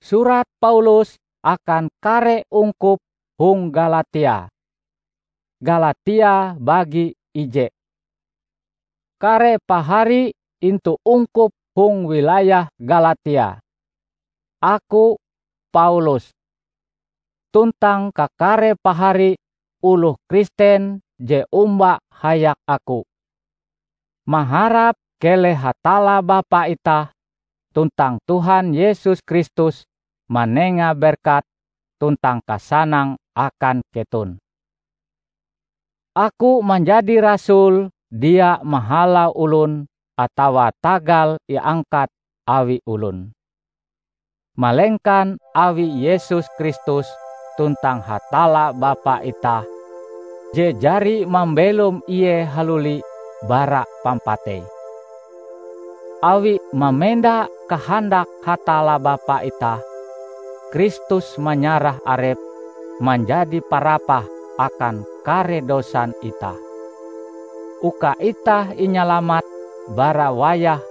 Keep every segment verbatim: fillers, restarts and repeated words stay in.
Surat Paulus akan kare ungkup hong Galatia. Galatia bagi ije. Kare pahari intu ungkup hong wilayah Galatia. Aku, Paulus, tuntang kakare pahari oloh Kristen je omba hayak aku, maharap keleh Hatalla Bapa itah tuntang Tuhan Yesus Kristus manenga berkat tuntang kasanang akan keton. Aku manjadi rasul dia mahalau olon atawa tagal iangkat awi olon, malengkan awi Yesus Kristus tuntang Hatalla Bapa itah, je jari mambelom Ie haluli bara pampatei. Awi mamenda kahandak Hatalla Bapa itah, Kristus manyarah Arepe manjadi parapah akan kare dosan itah, uka itah inyalamat bara wayah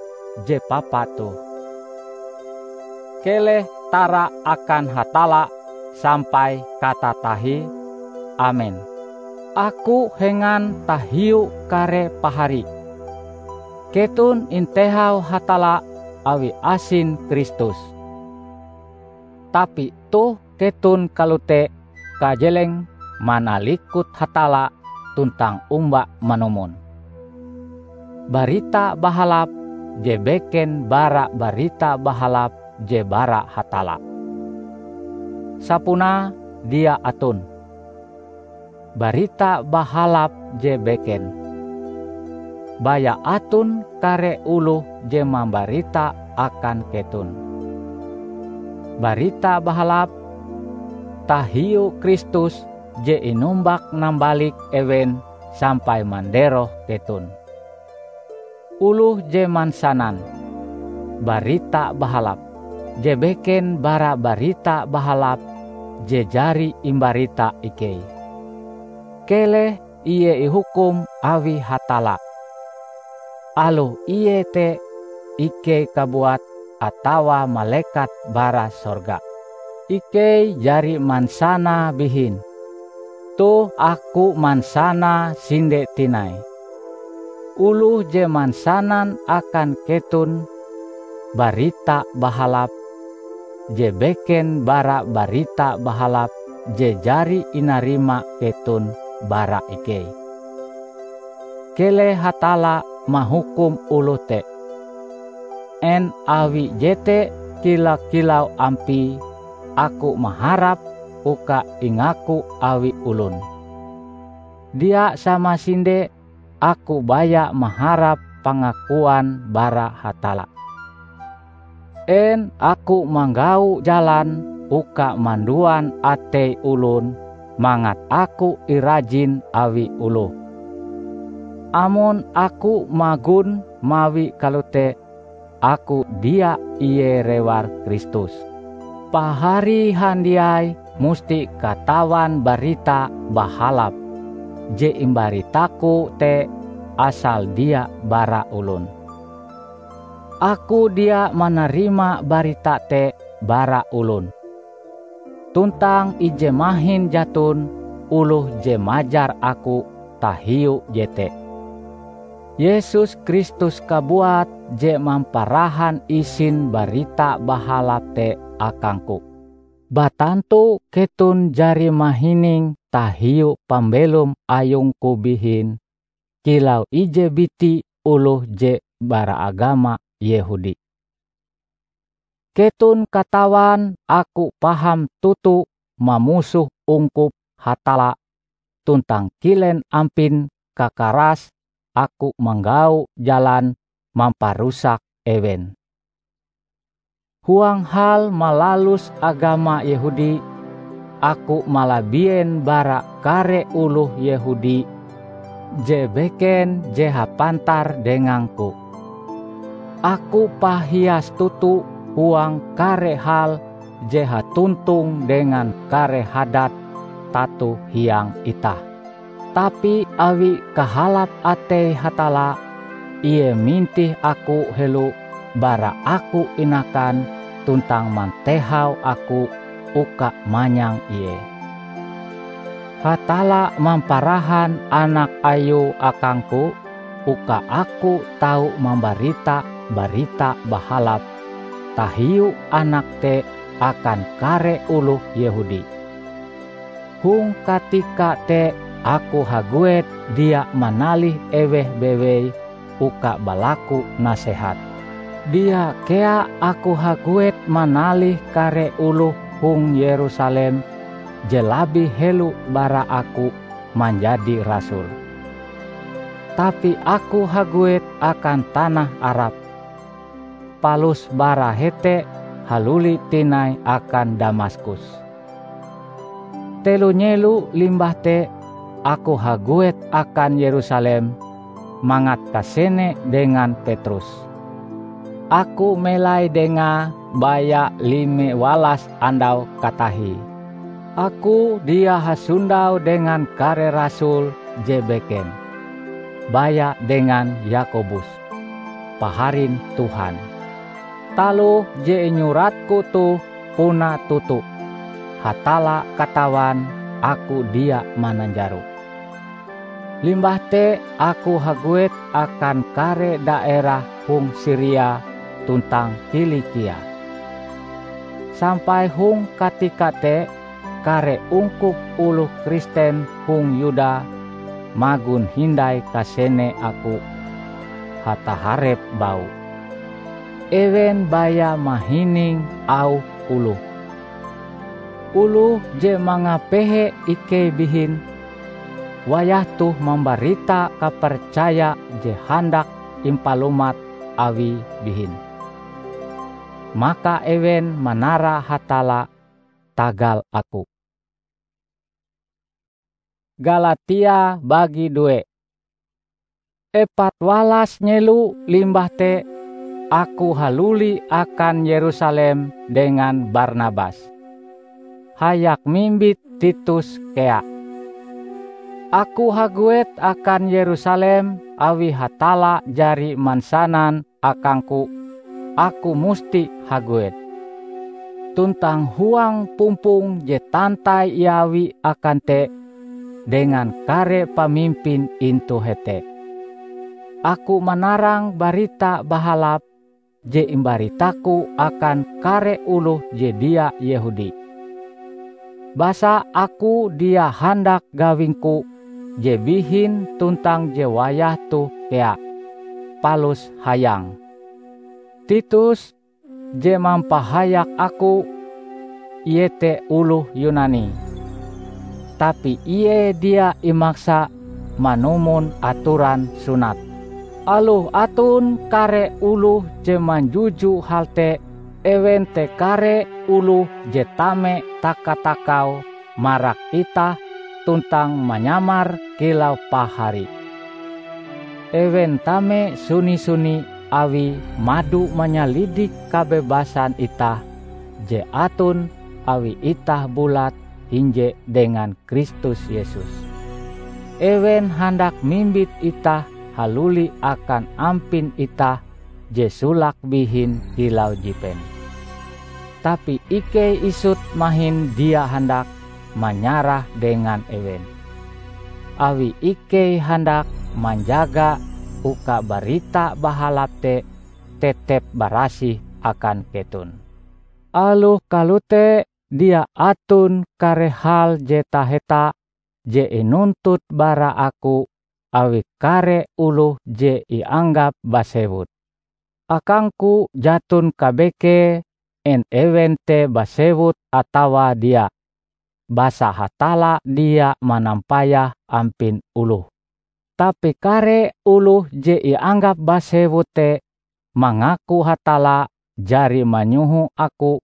je papa toh. Keleh tara akan Hatalla sampai katatahie. Amen. Aku hengan tahiu kare pahari. Keton intehau Hatalla awi asin Kristus. Tapi toh keton kalote kajeleng manalikut Hatalla tuntang omba manumon. Barita Bahalap je beken bara Barita Bahalap je bara Hatalla. Sapunae dia aton Barita Bahalap je beken, baya aton kare oloh je mambarita akan keton Barita Bahalap tahiu Kristus je inumbak-nambalik ewen sampai manderoh keton. Oloh je mansanan Barita Bahalap je beken bara Barita Bahalap je jari imbarita ikei, keleh ie ihukum awi Hatalla. Aloh ie te ikei kabuat atawa malekat bara sorga, ikei jari mansanae bihin. Toh aku mansanae sinde tinai. Oloh je mansanan akan keton Barita Bahalap je beken bara Barita Bahalap je jari inarima keton bara ikei. Keleh Hatalla mahukum oloh te. En awi jete kila-kilau ampie aku maharap uka ingaku awi olon. Dia samasinde aku baya maharap pangakuan bara Hatalla. En aku manggau jalan uka manduan atei olon mangat aku irajin awi oloh? Amon aku magon mawi kalote, aku dia ie rewar Kristus. Pahari handiai musti katawan Barita Bahalap je imbaritaku te asal dia bara olon. Aku dia manarima barita te bara olon. Tuntang ije mahin jaton oloh je majar aku tahiu jete. Yesus Kristus kabuat je mamparahan isin Barita Bahalap te akangku. Batantu keton jari mahining tahiu pambelom ayungku bihin kilau ije biti oloh je bara agama Yehudi. Keton katawan aku paham toto mamusoh ungkup Hatalla tuntang kilen ampin kakarase aku manggau jalan mamparusak ewen. Huang hal malalus agama Yehudi, aku malabien bara kare oloh Yehudi je beken je hapantar dengangku. Aku pahias toto huang kare hal je hatontong dengan kare hadat tato hiang itah. Tapi awi kahalap atei Hatalla, Ie mintih aku helo bara aku inakan tuntang mantehau aku uka manyang Ie. Hatalla mamparahan Anak Ayue akangku uka aku tau mambarita Barita Bahalap tahiu Anak te akan kare oloh Yehudi. Hong katika te aku haguet dia manalih eweh bewei uka balaku nasehat. Dia kea aku haguet manalih kare oloh hong Yerusalem je labih helo bara aku manjadi rasul. Tapi aku haguet akan tanah Arab, palus bara hete haluli tinai akan Damaskus. Telo nyelo limbah te, aku haguet akan Yerusalem mangat kasene dengan Petrus. Aku melai dengae baya lime walas andau katahie. Aku dia hasondau dengan kare rasul je beken, baya dengan Yakobus, paharin Tuhan. Taloh je inyuratku toh puna toto. Hatalla katawan aku dia mananjaro. Limbah te aku haguet akan kare daerah hong Siria tuntang Kilikia. Sampai hong katika te, kare ungkup oloh Kristen hong Yuda magon hindai kasene aku hataharep baue. Ewen baya mahining auh oloh. Oloh je mangapehe ikei bihin, wayah toh mambarita kapercaya je handak impalumat awie bihin. Maka ewen manara Hatalla tagal aku. Galatia bagi due. Epat walas nyelo limbah te, aku haluli akan Yerusalem dengan Barnabas, hayak mimbit Titus kea. Aku haguet akan Yerusalem awi Hatalla jari mansanan akangku, aku musti haguet. Tuntang huang pumpong je tantai iawi akan te dengan kare pamimpin intu hete, aku manarang Barita Bahalap je imbaritaku akan kare oloh je dia Yehudi. Basa aku dia handak gawingku je bihin tuntang je wayah toh kea, palus hayang. Titus, je mampahayak aku, iete oloh Yunani, tapi ie dia imaksa manumon atoran sunat. Aloh aton kare oloh je manjuju hal te, ewen te kare oloh je tame taka-takau marak itah tuntang manyamar kilau pahari. Ewen tame suni-suni awi mado manyalidik kabebasan itah je aton awi itah bulat hinje dengan Kristus Yesus. Ewen handak mimbit itah haluli akan ampin itah je solake bihin kilau jipen. Tapi ikei isut mahin dia handak manyarah dengan ewen, awi ikei handak manjaga uka Barita Bahalap te tetep barasih akan keton. Aloh kalote, dia aton kare hal je taheta je inuntut bara aku awi kare oloh je ianggap basewut. Akangku jaton kabekee en ewen te basewut atawa dia, basa Hatalla dia manampayah ampin oloh. Tapi kare oloh je ianggap basewut te mangaku Hatalla jari manyoho aku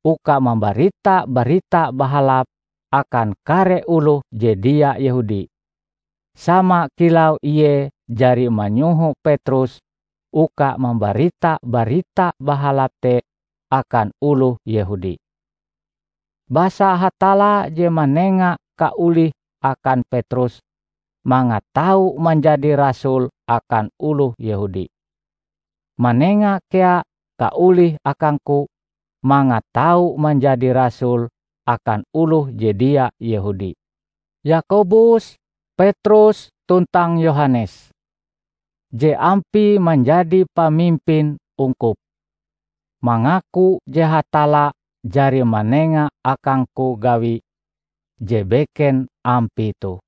uka mambarita Barita Bahalap akan kare oloh je dia Yehudi, sama kilau ie jari manyoho Petrus uka mambarita Barita Bahalap te akan oloh Yehudi. Basa Hatalla je manenga kaolih akan Petrus mangat tau manjadi rasul akan oloh Yehudi. Manenga kea kaolih akangku mangat tau manjadi rasul akan oloh je dia Yehudi. Yakobus, Petrus, tuntang Yohanes, je ampie manjadi pamimpin ungkup, mangaku je Hatalla jari manenga akangku gawi je beken ampie toh.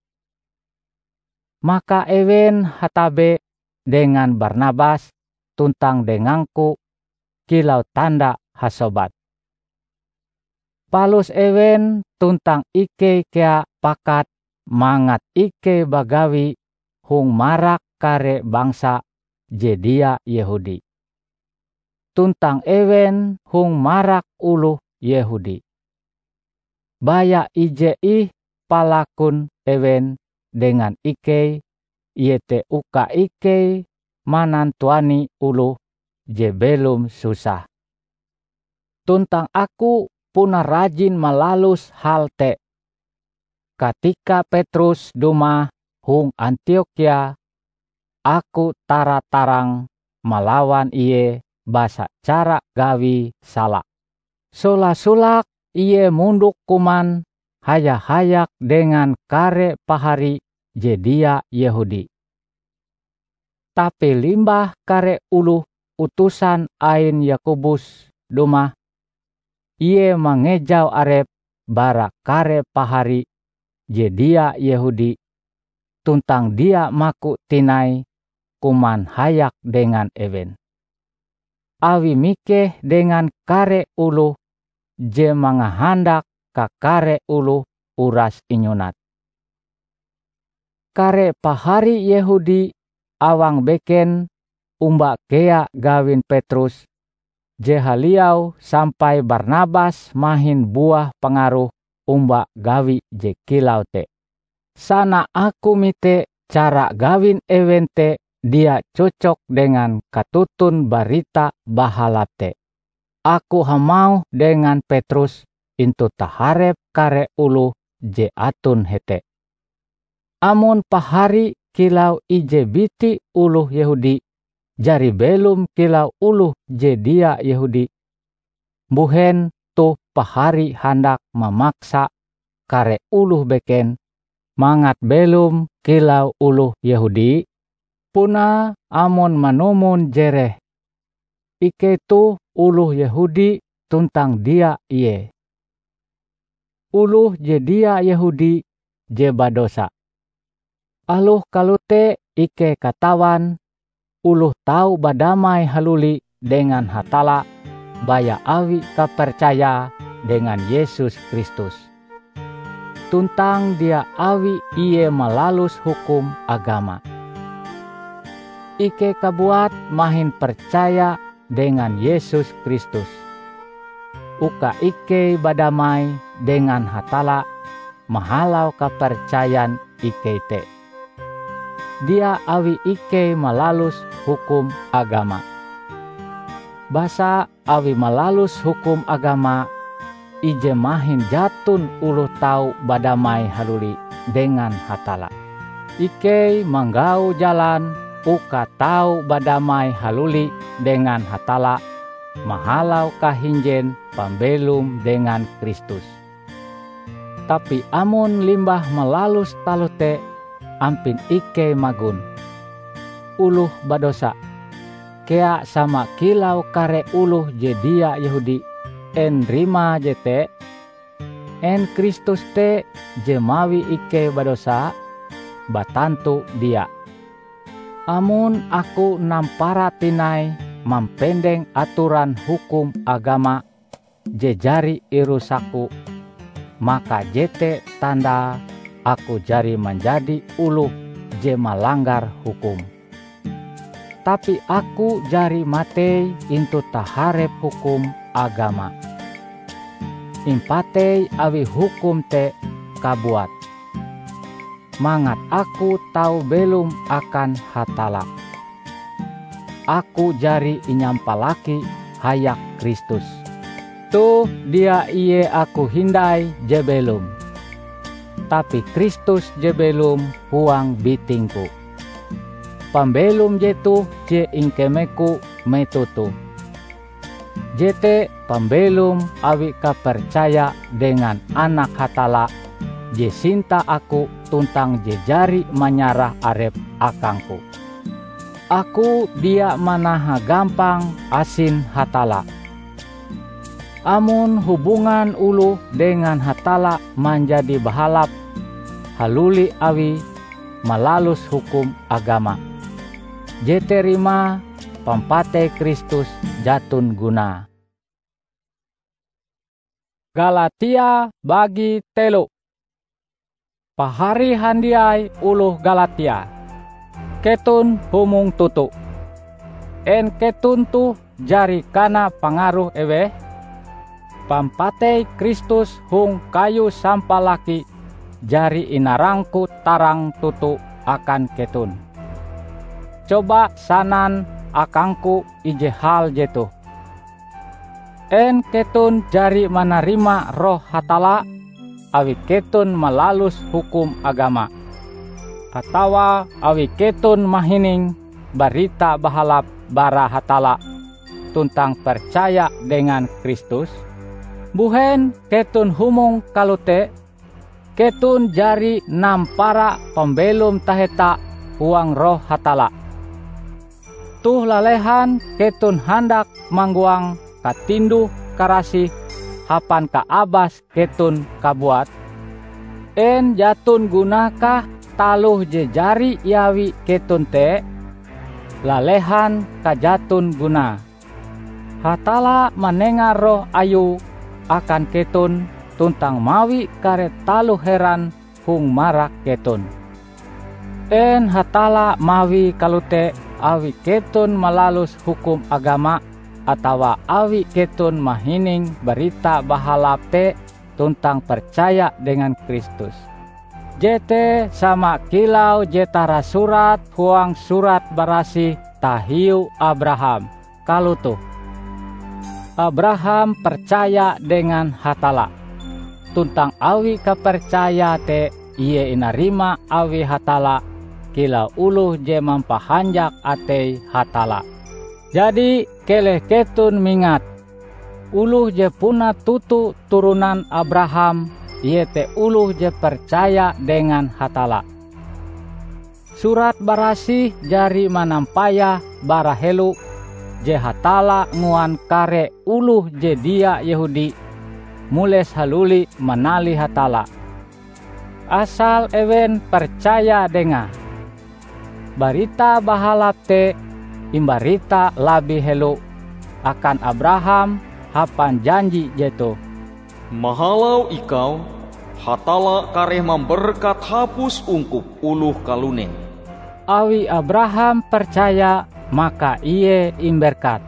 Maka ewen hatabe dengan Barnabas tuntang dengangku kilau tanda hasobat. Palus ewen tuntang ikei kea pakat mangat ikei bagawi hong marak kare bangsa je dia Yehudi, tuntang ewen hong marak oloh Yehudi. Baya ije ih palakun ewen dengan ikei, iete uka ikei manantuani oloh je belom susah. Tuntang aku puna rajin malalus hal te. Katika Petrus dumah hong Antiokhia, aku tara-tarang malawan ie basa cara gawie sala. Sola-solake ie mondok kuman haya-hayak dengan kare pahari je dia Yehudi. Tapi limbah kare oloh utusan ain Yakobus dumah, ie mangejau arepe bara kare pahari je dia Yehudi tuntang dia maku tinai kuman hayak dengan ewen, awi mikeh dengan kare oloh je mangahandak kakare oloh uras inyunat. Kare pahari Yehudi awang beken omba kea gawin Petrus je haliau sampai Barnabas mahin buah pangaruh omba gawi je kilau te. Sana aku mite cara gawin ewen te dia cocok dengan katuntun Barita Bahalap te. Aku hamauh dengan Petrus intu taharep kare oloh je aton hete, "Amon pahari kilau ije biti oloh Yehudi jari belom kilau oloh je dia Yehudi, mbuhen toh pahari handak mamaksa kare oloh beken mangat belom kilau oloh Yehudi? Punae amon manumon jereh, ikei toh oloh Yehudi tuntang dia ie. Oloh je dia Yehudi je badosa. Aloh kalote ikei katawan oloh tau badamai haluli dengan Hatalla baya awi kapercayae dengan Yesus Kristus, tuntang dia awi ie malalus hukum agama. Ikei kabuat mahin percaya dengan Yesus Kristus, uka ikei badamai dengan Hatalla mahalau kapercayan ikei te. Dia awi ikei malalus hukum agama. Basa awi malalus hukum agama, ije mahin jaton oloh tau badamai haluli dengan Hatalla. Ikei manggau jalan uka tau badamai haluli dengan Hatalla mahalau kahinjen pambelom dengan Kristus. Tapi amon limbah malalus taloh te ampin ikei magon oloh badosa kea sama kilau kare oloh je dia Yehudi, en rimae jete? En Kristus te je mawi ikei badosa? Batantu dia! Amon aku nampara tinai mampendeng atoran hukum agama je jari irusakku, maka jete tandae aku jari manjadi oloh je malanggar hukum. Tapi aku jari matei intu taharep hukum agama, impatei awi hukum te kabuat, mangat aku tau belom akan Hatalla. Aku jari inyampalaki hayak Kristus. Toh dia ie aku hindai je belom, tapi Kristus je belom huang bitingku. Pambelom jetoh je ingkemeku metoh toh. Jete pambelom awi kapercaya dengan Anak Hatalla je sinta aku tuntang je jari manyarah arepe akangku. Aku dia manahagampang asin Hatalla. Amon hubungan oloh dengan Hatalla manjadi bahalap haluli awie malalus hukum agama, jete rimae pampatei Kristus jaton gunae. Galatia bagi telo. Pahari handiai oloh Galatia, keton humong toto! En keton toh jari kana pangaruh eweh? Pampatei Kristus hong kayu sampalaki jari inarangku tarang toto akan keton. Coba sanan akangku ije hal jetoh: En keton jari manarima Roh Hatalla awi keton malalus hukum agama, atawa awi keton mahining Barita Bahalap bara Hatalla tuntang percaya dengan Kristus? Mbuhen keton humong kalote? Keton jari nampara pambelom taheta huang Roh Hatalla. Toh lalehan keton handak manggoang katinduh-karasih hapan kaabas keton kabuat? En jaton gunakah taloh je jari iawi keton te? Lalehan kajaton gunae! Hatalla manenga Roh Ayue akan keton tuntang mawi kare taloh heran hong marak keton. En Hatalla mawie kalote awi keton malalus hukum agama atawa awi keton mahining Barita Bahalap te tuntang percaya dengan Kristus? Jete sama kilau je tarasurat huang Surat Barasih tahiu Abraham kalotoh, "Abraham percaya dengan Hatalla, tuntang awi kapercayae te ie inarima awi Hatalla kilau oloh je mampahanjak atei Hatalla." Jadi, keleh keton mingat, oloh je puna toto turonan Abraham iete oloh je percaya dengan Hatalla. Surat Barasih jari manampayah bara helo je Hatalla nguan kare oloh je dia Yehudi mules haluli manalih Hatalla, asal ewen percaya dengae. Barita Bahalap te imbarita labih helo akan Abraham hapan janji jetoh, "Mahalau ikau, Hatalla kareh mamberkat hapus ungkup oloh kalunen." Awi Abraham percaya, maka ie imberkat.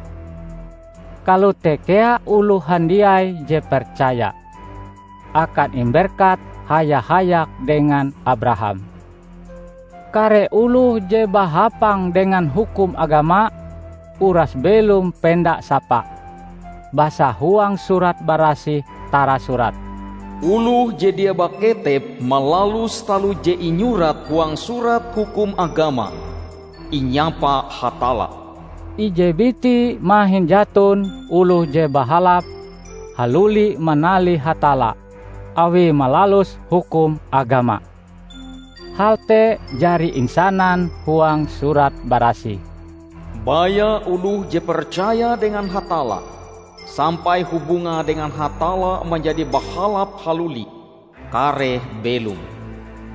Kalote kea oloh handiai je percaya, akan imberkat haya-hayak dengan Abraham. Kare oloh je bahapang dengan hukum agama uras belom penda sapa. Basa huang Surat Barasih tarasurat, "Oloh je dia baketep malalus taloh je inyurat huang surat hukum agama, inyapa Hatalla." Ije biti mahin jaton oloh je bahalap haluli manalih Hatalla awie malalus hukum agama. Hal te jari insanan huang Surat Barasih, "Baya oloh je percaya dengan Hatalla, sampai hubungae dengan Hatalla manjadi bahalap haluli, kareh belom."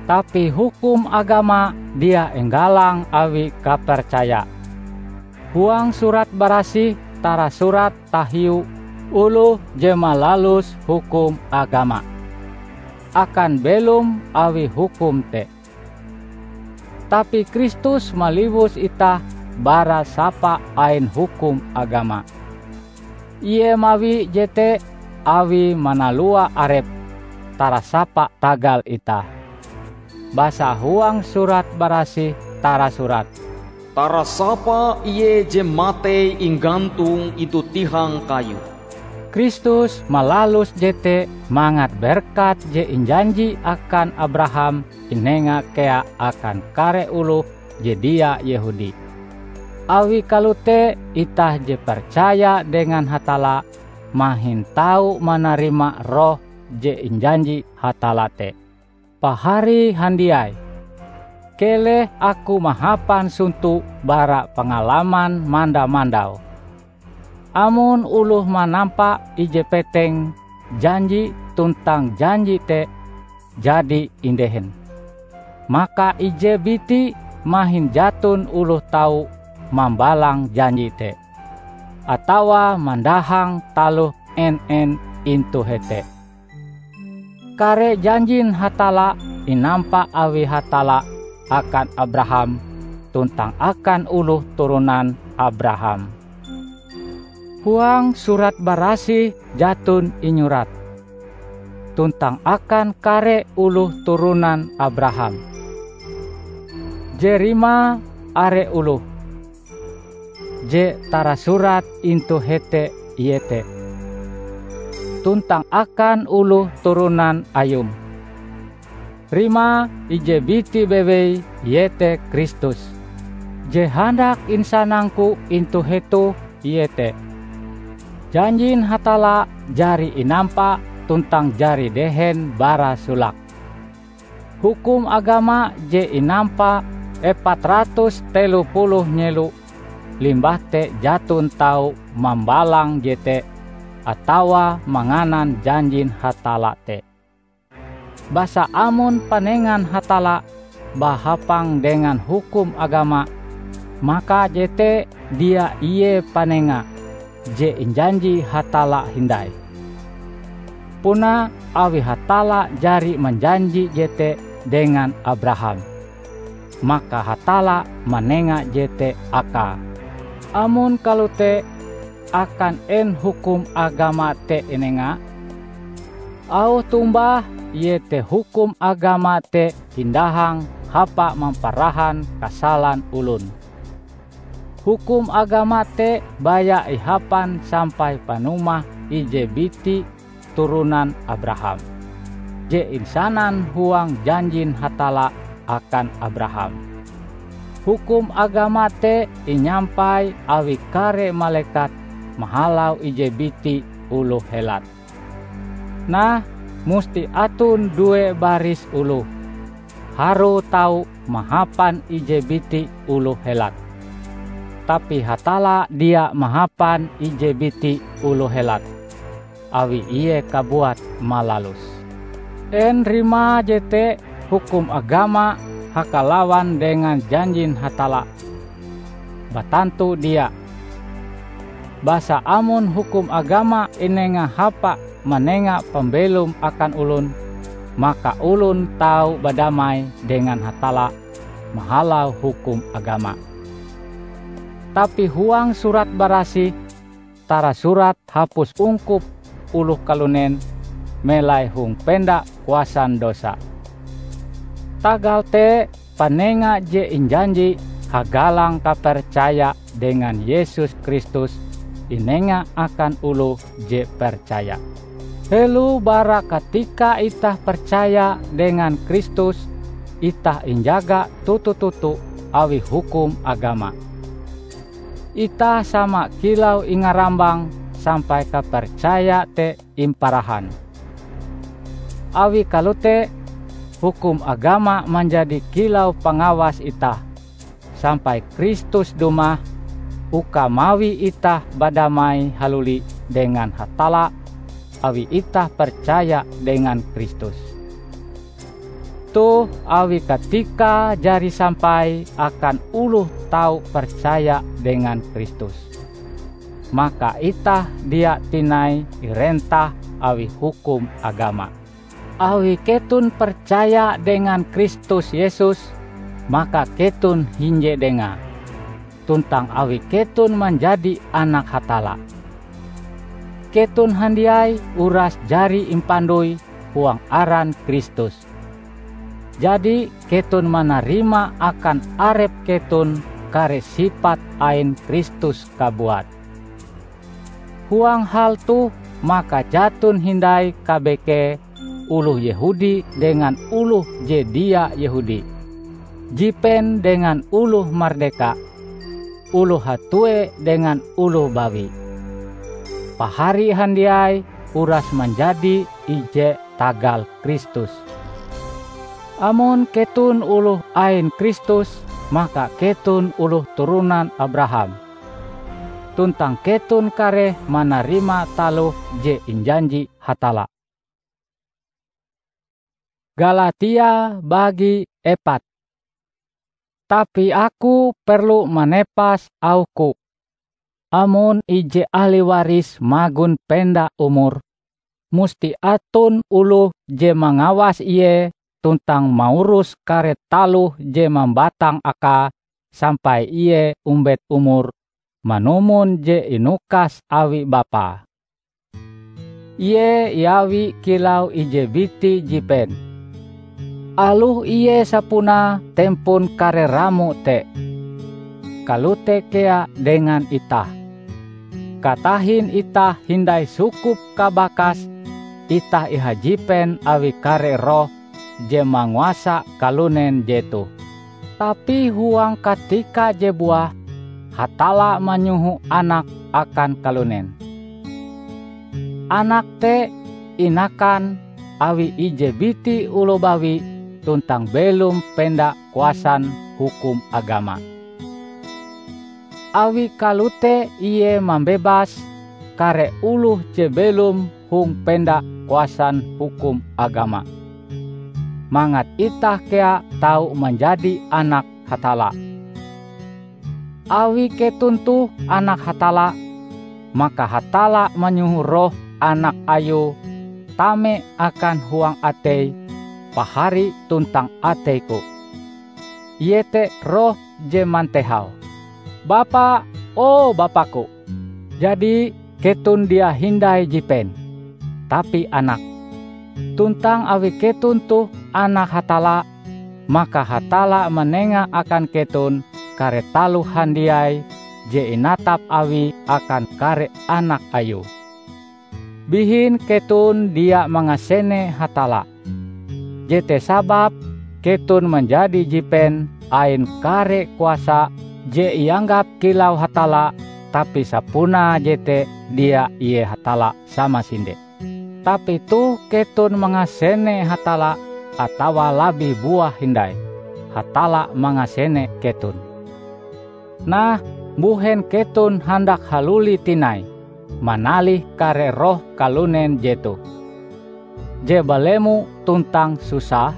Tapi hukum agama dia inggalang awi kapercaya. Huang Surat Barasih tarasurat tahiu oloh je malalus hukum agama, akan belom awi hukum te. Tapi Kristus maliwus itah bara sapa ain hukum agama. Ie mawi jete awie manalua arepe tarasapa tagal itah. Basa huang Surat Barasih tarasurat, "Tarasapa Ie je matei inggantong intu tihang kayu." Kristus malalus jete mangat berkat je injanji akan Abraham inenga kea akan kare oloh je dia Yehudi. Awi kalote itah je percaya dengan Hatalla mahin tau manarima Roh je injanji Hatalla te. Pahari handiai, keleh aku mahapan sonto bara pangalaman manda-mandau. Amon oloh manampa ije peteng janji tuntang janji te jadi indehen, maka ije biti mahin jaton oloh tau mambalang janji te, atawa mandahang taloh en-en intu hete. Kare janjin Hatalla inampa awi Hatalla akan Abraham tuntang akan oloh turonan Abraham. Huang Surat Barasih jaton inyurat, "Tuntang akan kare oloh turonan Abraham." Je rimae are oloh, je tarasurat intu hete iete, "Tuntang akan oloh turonan ayum." Rimae ije biti bewei, iete Kristus. Je handak insanangku intu hetoh iete, janjin Hatalla jari inampa tuntang jari dehen bara solake. Hukum agama je inampa epat ratus telo puluh nyelo limbah te jaton tau mambalang jete atawa manganan janjin Hatalla te. Basa amon panengan Hatalla bahapang dengan hukum agama, maka jete dia ie panenga je injanji Hatalla hindai. Puna awi Hatalla jari manjanji jete dengan Abraham, maka Hatalla manenga jete akae. Amon kalote, akan en hukum agama te inenga? Auh tombah iete hukum agama te indahang hapa mamparahan kasalan olon. Hukum agama te baya ihapan sampai panumah ije biti turonan Abraham, je insanan huang janjin Hatalla akan Abraham. Hukum agama te inyampai awi kare malekat mahalau ije biti oloh helat. Nah, musti aton due baris oloh harue tau mahapan ije biti oloh helat. Tapi Hatalla dia mahapan ije biti oloh helat, awi Ie kabuat malalus. En rimae jete hukum agama hakalawan dengan janjin Hatalla? Batantu dia! Basa amon hukum agama inenga hapa manenga pambelom akan olon, maka olon tau badamai dengan Hatalla mahalau hukum agama. Tapi huang Surat Barasih tarasurat hapus ungkup oloh kalunen melai hong penda kuasan dosa. Tagal te, panenga je injanji hagalang kapercaya dengan Yesus Kristus inenga akan oloh je percaya. Helo bara katika itah percaya dengan Kristus, itah injaga toto-toto awi hukum agama. Itah sama kilau ingarambang sampai kapercaya te imparahan. Awi kalote, hukum agama manjadi kilau pangawas itah, sampai Kristus dumah uka mawi itah badamai haluli dengan Hatalla awi itah percaya dengan Kristus. Toh awi katikae jari sampai akan oloh tau percaya dengan Kristus, maka itah dia tinai irentah awi hukum agama. Awi keton percaya dengan Kristus Yesus, maka keton hinje Dengae, tuntang awi keton manjadi anak Hatalla. Keton handiai uras jari impandoi huang aran Kristus. Jadi, keton manarima akan arep keton kare sipat ain Kristus kabuat. Huang hal toh maka jaton hindai kabekee oloh Yehudi dengan oloh je dia Yehudi, jipen dengan oloh mardeka, oloh hatue dengan oloh bawi. Pahari handiai uras manjadi ije tagal Kristus. Amon keton oloh ain Kristus, maka keton oloh turonan Abraham, tuntang keton kareh manarima taloh je injanji Hatalla. Galatia bagi epat. Tapi aku perlu manepas auhku, amon ije ahli waris magon penda umur, musti aton oloh je mangawas ie tuntang maurus kare taloh je mambatang akae sampai ie ombet umur manumon je inukas awi bapae. Ie iawi kilau ije biti jipen. Aloh ie sapunae tempon kare ramo te, kalote kea dengan itah. Katahin itah hindai sukup kabakas, itah ihajipen awi kare roh je manguasa kalunen jetoh. Tapi huang katika je buah, Hatalla manyoho Anak akan kalunen. Anak te inakan awi ije biti oloh bawi tuntang belom penda kuasan hukum agama. Awi kalote ie mambebas kare oloh je belom hong penda kuasan hukum agama, mangat itah kea tau manjadi anak Hatalla. Awi keton toh anak Hatalla, maka Hatalla manyoho Roh Anak Ayue tame akan huang atei pahari tuntang ateiku. Iete Roh je mantehau, "Bapa, o Bapa-Ku!" Jadi, keton dia hindai jipen, tapi anak. Tuntang awi keton toh anak Hatalla, maka Hatalla manenga akan keton kare taloh handiai je inatap Awie akan kare anak Ayue. Bihin keton dia mangasene Hatalla. Jete sababe keton manjadi jipen ain kare kuasa je ianggap kilau Hatalla, tapi sapunae jete dia ie Hatalla samasinde. Tapi toh keton mangasene Hatalla, atawa labih buah hindai, Hatalla mangasene keton. Nah, mbuhen keton handak haluli tinai, manalih kare roh kalunen jetoh, je balemo tuntang susah?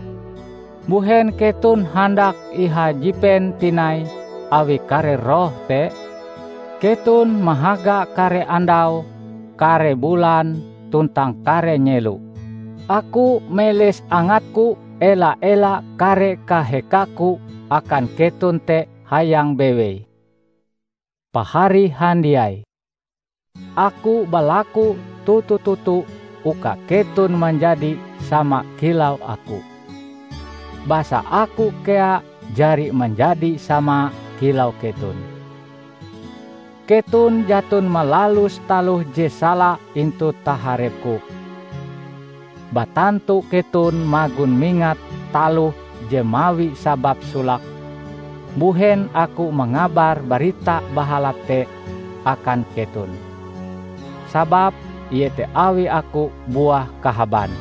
Mbuhen keton handak ihajipen tinai awi kare roh te? Keton mahaga kare andau, kare bulan, tuntang kare nyelo. Aku meles angatku ela-ela kare kahekaku akan keton te hayang bewei. Pahari handiai, aku balaku toto-toto uka keton manjadi sama kilau aku, basa aku kea jari manjadi sama kilau keton. Keton jaton malalus taloh je sala intu taharepku. Batantu keton magon mingat taloh je mawi sabab solake, mbuhen aku mangabar Barita Bahalap te akan keton. Sababe iete awi aku buah kahaban.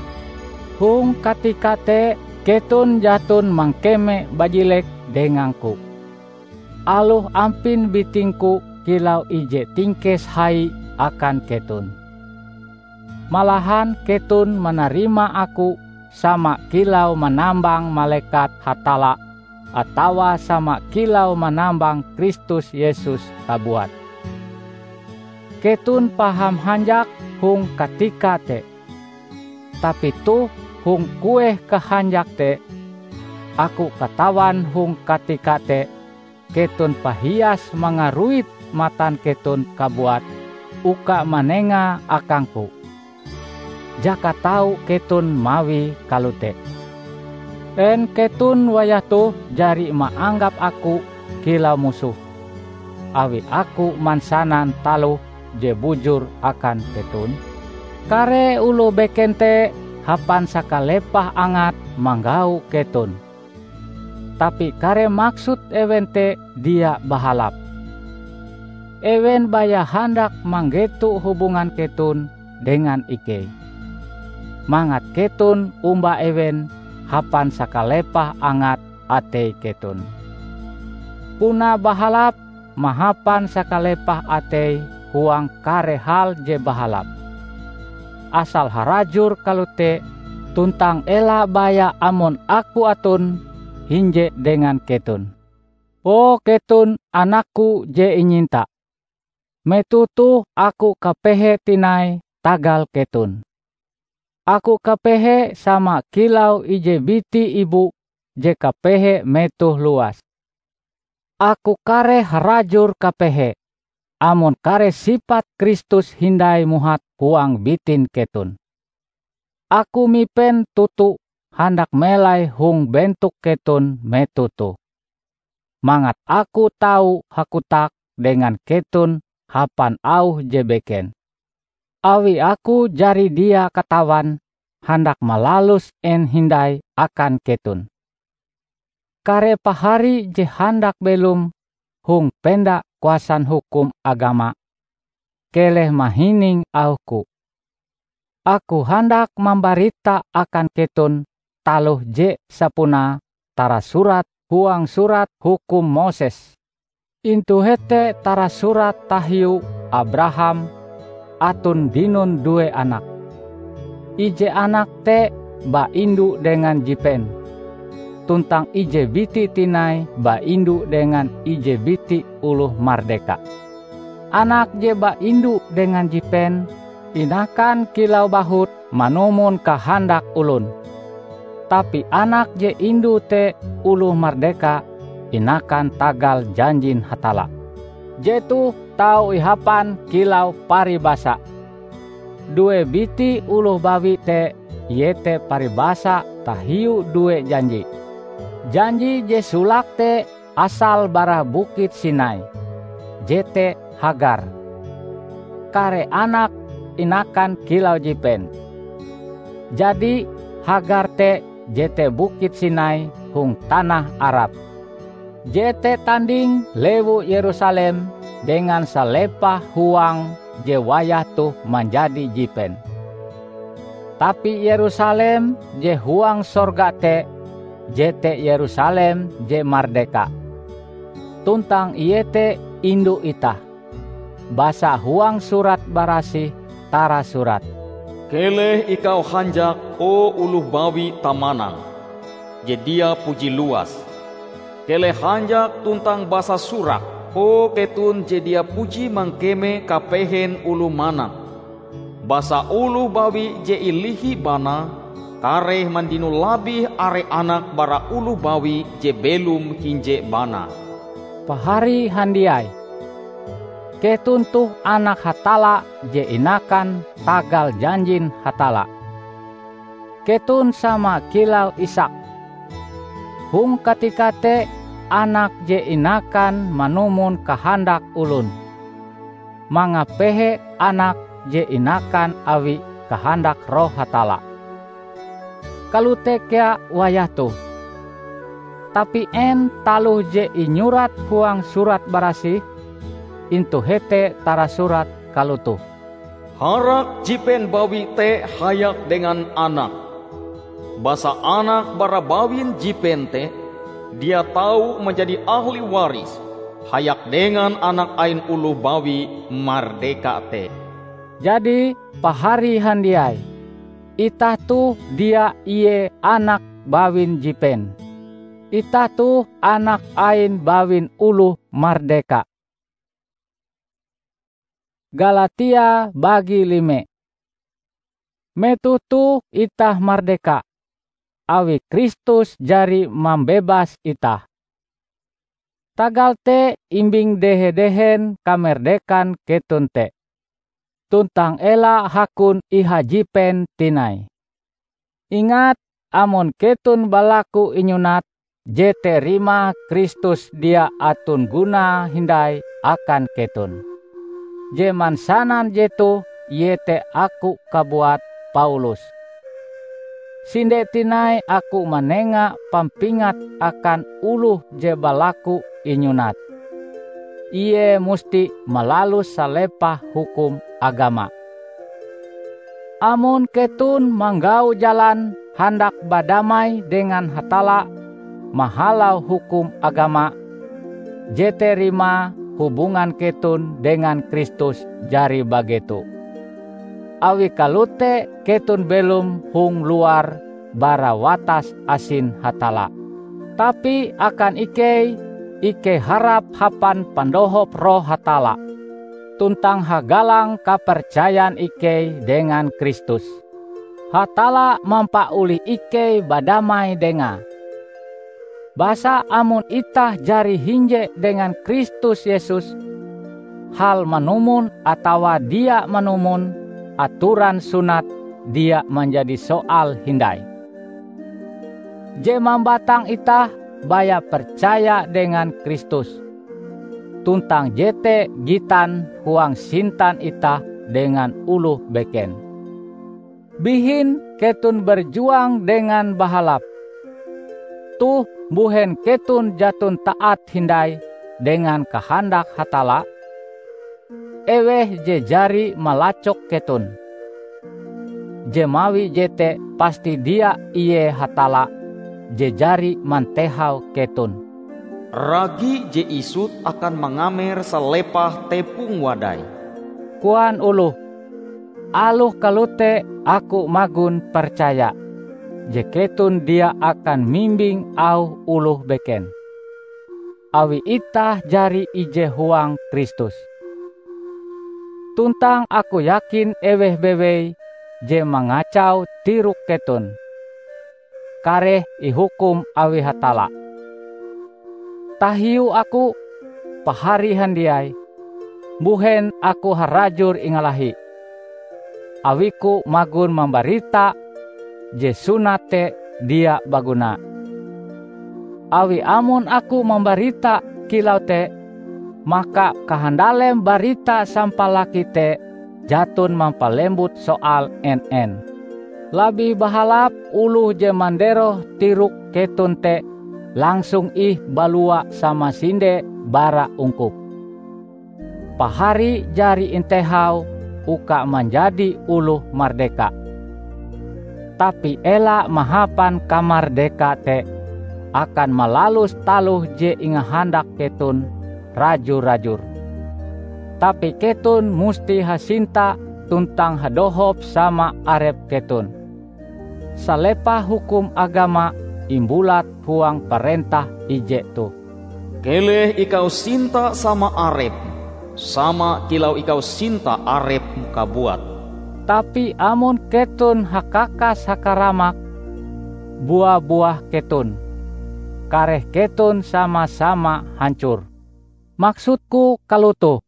Hong katika te keton jaton mangkeme bajilek dengangku, aloh ampin bitingku kilau ije tingkes hai akan keton. Malahan keton manarima aku sama kilau manambang malekat Hatalla atawa sama kilau manambang Kristus Yesus kabuat. Keton paham hanjak hong katika te. Tapi toh hong kueh kahanjak te, aku katawan hong katika te keton pahias mangaruit matan keton kabuat uka manengae akangku. Jaka tau keton mawie kalote. En keton wayah toh jari maanggap aku kilau musoh, awi aku mansanan taloh je bujur akan keton? Kare oloh beken te hapan sakalepah angate manggau keton, tapi kare maksud ewen te dia bahalap. Ewen baya handak manggeto hubungan keton dengan ikei, mangat keton omba ewen hapan sakalepah angat atei keton. Puna bahalap mahapan sakalepah atei huang kare hal je bahalap. Asal harajur kalote, tuntang ela baya amon aku aton hinje dengan keton. O keton anakku je inyinta! Metoh toh aku kapehe tinai tagal keton. Aku kapehe sama kilau ije biti ibu je kapehe metoh luas. Aku kareh harajur kapehe, amon kare sipat Kristus hindai muhat huang bitin keton. Aku mipen toto handak melai hong bentok keton metoh toh, mangat aku tau hakotak dengan keton hapan auh je beken, awi aku jari dia katawan handak malalus en hindai akan keton. Kare pahari je handak belom hong penda kuasan hukum agama, keleh mahining auhku. Aku handak mambarita akan keton taloh je sapunae tarasurat huang Surat Hukum Moses. Intu hete tarasurat tahiu Abraham aton dinon due anak. Ije anak te ba indu dengan jipen, tuntang ije biti tinai ba indu dengan ije biti oloh mardeka. Anak je ba indu dengan jipen inakan kilau bahut manumon kahandak olon. Tapi anak je indu te oloh mardeka inakan tagal janjin Hatalla. Jetoh tau ihapan kilau paribasa. Due biti oloh bawi te iete paribasa tahiu due janji. Janji je solake te asale bara Bukit Sinai, jete Hagar. Kare anak inakan kilau jipen. Jadi, Hagar te jete Bukit Sinai hong tanah Arab. Jete tanding lewu Yerusalem dengan salepah huang je wayah toh manjadi jipen. Tapi Yerusalem je huang sorga te jete Yerusalem je mardeka, tuntang ie te indu itah. Basa huang Surat Barasih tarasurat, "Keleh ikau hanjak, o oloh bawi tamanang, je dia puji luas. Keleh hanjak tuntang basasorak, o keton je dia puji mangkeme kapehen oloh manang. Basa oloh bawi je ilihi banae kareh mandino labih are anak bara oloh bawi je belom hinje banae." Pahari handiai! Keton toh anak Hatalla je inakan tagal janjin Hatalla. Keton sama kilau Ishak. Hong katika te anak je inakan manumon kahandak olon, mangapehe anak je inakan awi kahandak Roh Hatalla. Kalote kea wayah toh. Tapi en taloh je inyurat huang Surat Barasih? Intu hete tarasurat kalotoh, "Harak jipen bawi te hayak dengan anak, basa anak bara bawin jipen te dia tau manjadi ahli waris hayak dengan anak ain oloh bawi mardeka te." Jadi, pahari handiai, itah toh dia ie anak bawin jipen. Itah toh anak ain bawin oloh mardeka. Galatia bagi lime. Metoh toh itah mardeka, awi Kristus jari mambebas itah. Tagal te imbing dehe-dehen kamerdekan keton te, tuntang ela hakon ihajipen tinai. Ingat, amon keton balaku inyunat, jete rimae Kristus dia aton gunae hindai akan keton. Je mansanan jetoh iete aku kabuat, Paulus. Sinde tinai aku manenga pampingat akan oloh je balaku inyunat. ie musti malalus salepah hukum agama. Amon keton manggau jalan handak badamai dengan Hatalla mahalau hukum agama, jete rimae hubungan keton dengan Kristus jari bageto. Awi kalote keton belom hong luar bara watas asin Hatalla. Tapi akan ikei, ikei harap hapan pandohop Roh Hatalla, tuntang hagalang kapercayan ikei dengan Kristus. Hatalla mampaolih ikei badamai Dengae. Basa amon itah jari hinje dengan Kristus Yesus, hal manumon atawa dia manumon atoran sunat dia manjadi soal hindai. Je mambatang itah baya percaya dengan Kristus, tuntang jete gitan huang sintan itah dengan oloh beken. Bihin keton berjuang dengan bahalap. Toh, mbuhen keton jaton taat hindai dengan kahandak Hatalla? Eweh je jari malacok keton. Je mawi jete pasti dia ie Hatalla je jari mantehau keton. Ragi je isut akan mangamer salepah tepong wadai, koan oloh. Aloh kalote aku magon percaya je keton dia akan mimbing auh oloh beken, awi itah jari ije huang Kristus. Tuntang aku yakin eweh bewei je mangacau tirok keton, kareh ihukum awi Hatalla. Tahiu aku, pahari handiai, mbuhen aku harajur ingalahi, awiku magon mambarita je sunat te dia baguna. Awi amon aku mambarita kilau te, maka kahandalem barita sampalaki te jaton mampalembut soal en-en. Labih bahalap oloh je manderoh tirok keton te langsung ih balua samasinde bara ungkup. Pahari jari intehau uka manjadi oloh mardeka. Tapi ela mahapan kamardeka te akan malalus taloh je ingahandak keton raju-rajur. Tapi keton musti hasinta tuntang hadohop sama arep keton. Salepah hukum agama imbulat huang parentah ije toh. Keleh ikau sinta sama arepm, sama kilau ikau sinta arepm kabuat. Tapi amon keton hakakas hakaramak, bua-buah keton, kareh keton sama-sama hancor. Maksudku kalotoh,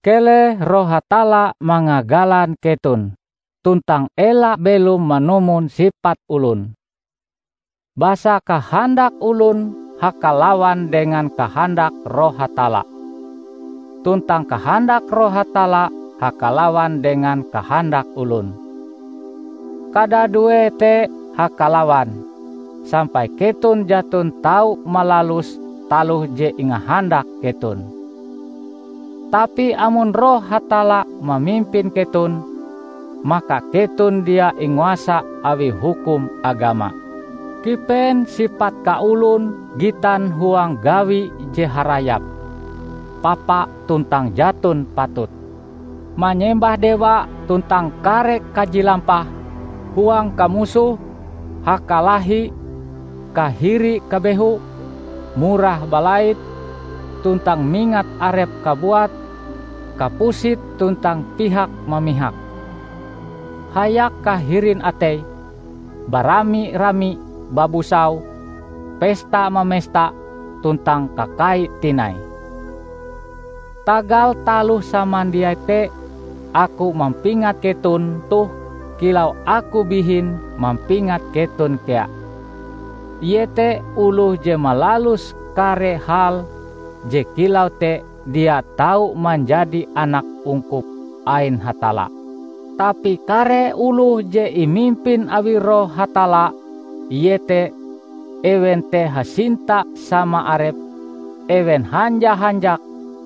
keleh Roh Hatalla mangagalan keton, tuntang ela belom manumon sipat olon. Basa kahandak olon hakalawan dengan kahandak Roh Hatalla, tuntang kahandak Roh Hatalla hakalawan dengan kahandak olon. Kadadue te hakalawan, sampai keton jaton tau malalus taloh je ingahandak keton. Tapi amon Roh Hatalla mamimpin keton, maka keton dia inguasa awi hukum agama. Kipen sipat kaolon gitan huang gawi je harayap, papa tuntang jaton patut, manyembah dewa tuntang kare kaji lampah, huang kamusoh, hakalahi, kahiri kabehu, murah balait, tuntang mingat arep kabuat, kapusit tuntang pihak mamihak, hayak kahirin atei, barami-rami babusau, pesta-mamesta tuntang kakai tinai. Tagal taloh samandiai te, aku mampingat keton toh kilau aku bihin mampingat keton kea, iete oloh je malalus kare hal je kilau te dia tau manjadi anak ungkup ain Hatalla. Tapi kare oloh je imimpin awi Roh Hatalla, iete ewen te hasinta sama arep, ewen hanja-hanjak,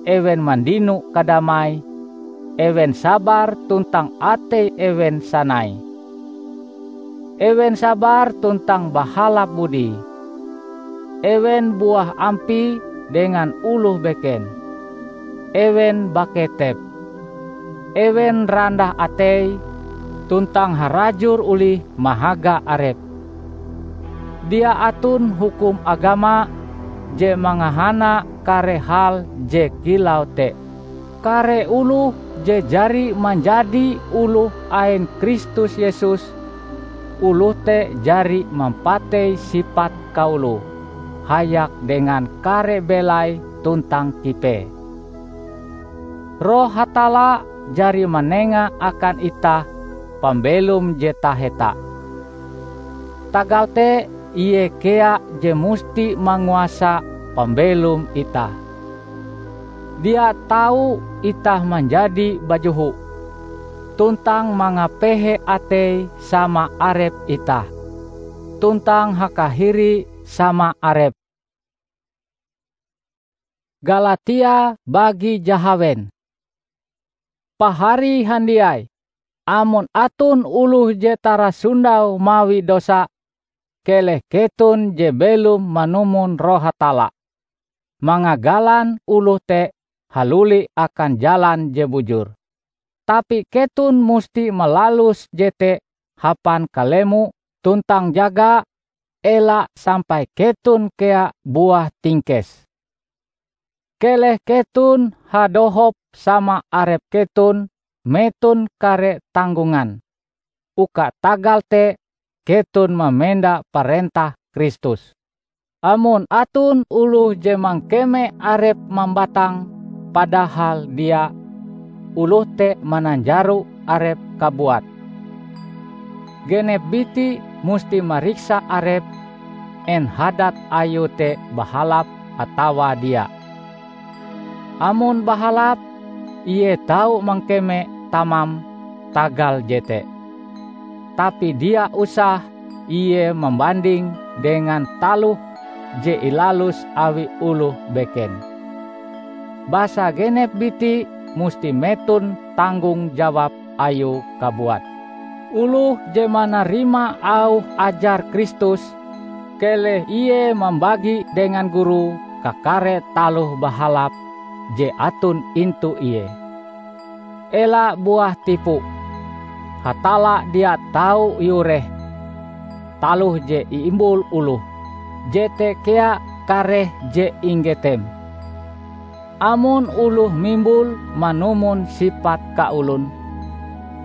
ewen mandino kadamai, ewen sabar tuntang atei ewen sanai. Ewen sabar tuntang bahalap budi. Ewen buah ampie dengan oloh beken. Ewen baketep. Ewen randah atei tuntang harajur olih mahaga arepe. Dia aton hukum agama je mangahana kare hal je kilau te. Kare oloh je jari manjadi oloh ain Kristus Yesus, oloh te jari mampatei sipat kaoloe hayak dengan kare belai tuntang kipee. Roh Hatalla jari manenga akan itah pambelom je taheta. Tagal te, Ie kea je musti manguasa pambelom itah. Dia tau itah manjadi bajoho, tuntang mangapehe atei sama arep itah, tuntang hakahiri sama arep. Galatia bagi jahawen. Pahari handiai, amon aton oloh je tarasondau mawi dosa, keleh keton je belom manumon Roh Hatalla, mangagalan oloh te haluli akan jalan je bujur. Tapi keton musti malalus jete hapan kalemo tuntang jaga, ela sampai keton kea buah tingkes. Keleh keton hadohop sama arep keton meton kare tanggongan, uka tagal te keton mamenda parentah Kristus. Amon aton oloh je mangkeme arepe mambatang, padahal dia, oloh te mananjaro arepe kabuat. Genep biti musti mariksa arepe, en hadat ayue te bahalap atawa dia. Amon bahalap, ie tau mangkeme tamam tagal jete. Tapi dia usah ie mambanding dengan taloh je ilalus awi oloh beken. Basa genep biti musti meton tanggong jawab ayue kabuat. Oloh je manarima auh ajar Kristus, keleh ie mambagi dengan gurue kakare taloh bahalap je aton intu ie. Ela buah tipu. Hatalla dia tau iureh taloh je iimbul oloh, jete kea kareh je inggetem. Amon oloh mimbul manumon sipat kaolon,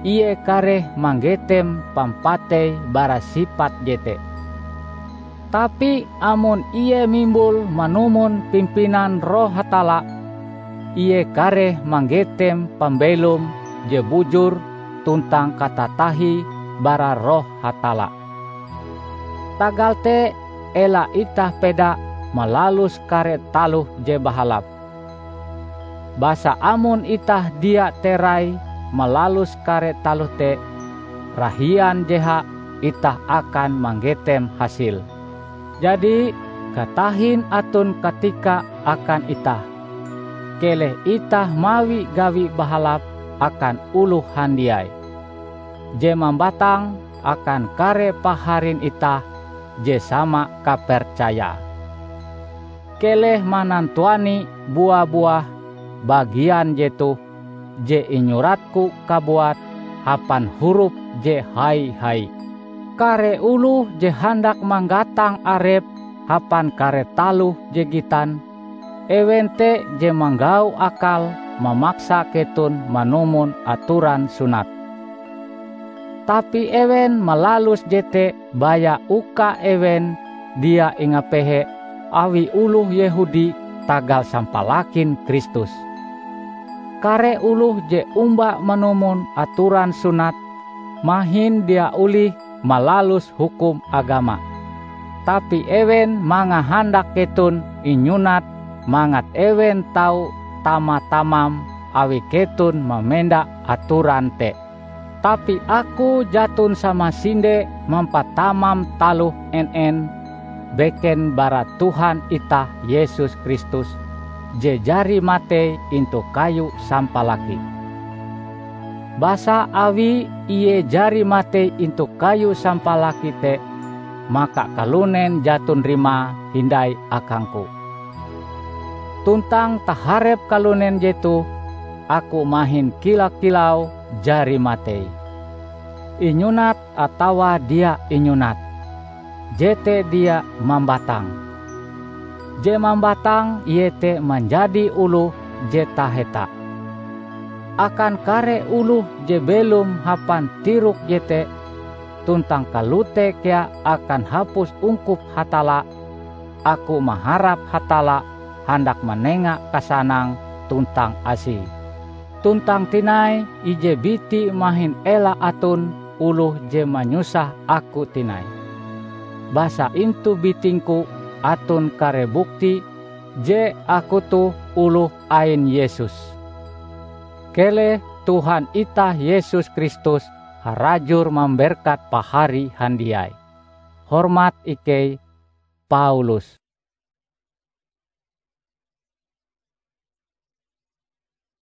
ie kareh manggetem pampatei bara sipat jete. Tapi amon ie mimbul manumon pimpinan Roh Hatalla, ie kareh manggetem pambelom je bujur tuntang katatahie bara Roh Hatalla. Tagal te, ela itah peda malalus kare taloh je bahalap. Basa amon itah dia terai malalus kare taloh te, rahian jeha itah akan manggetem hasil. Jadi, katahin aton katika akan itah. Keleh itah mawi gawi bahalap akan oloh handiai je mambatang akan kare paharin itah je sama kapercayae. Keleh manantuani bua-buah bagian jetoh je inyuratku kabuat hapan hurup je hai-hai. Kare oloh je handak manggatang arepe hapan kare taloh je gitan, ewen te je manggau akal mamaksa keton manumon atoran sunat. Tapi ewen malalus jete baya uka ewen dia ingapehe awi oloh Yehudi tagal sampalakin Kristus. Kare oloh je omba manumon atoran sunat mahin dia olih malalus hukum agama. Tapi ewen mangahandak keton inyunat mangat ewen tau tama-tamam awi keton mamenda atoran te. Tapi aku jaton samasinde mampatamam taloh en-en beken bara Tuhan itah Yesus Kristus. je jari matei intu kayu sampalaki. Basa awi ie jari matei intu kayu sampalaki te, maka kalunen jaton rimae hindai akangku. Tuntang taharep kalunen jetoh, aku mahin kila-kilau jari matei. Inyunat atawa dia inyunat, jete dia mambatang. Je mambatang iete manjadi oloh je taheta. Akan kare oloh je belom hapan tirok jete, tuntang kalote kea akan hapus ungkup Hatalla, aku maharap Hatalla handak manenga kasanang tuntang asie. Tuntang tinai ije biti mahin ela aton oloh je manyusah aku tinai. Basa intu bitingku aton kare bukti je aku toh oloh ain Yesus. Keleh Tuhan itah Yesus Kristus harajur mamberkat pahari handiai. Hormat ikei, Paulus.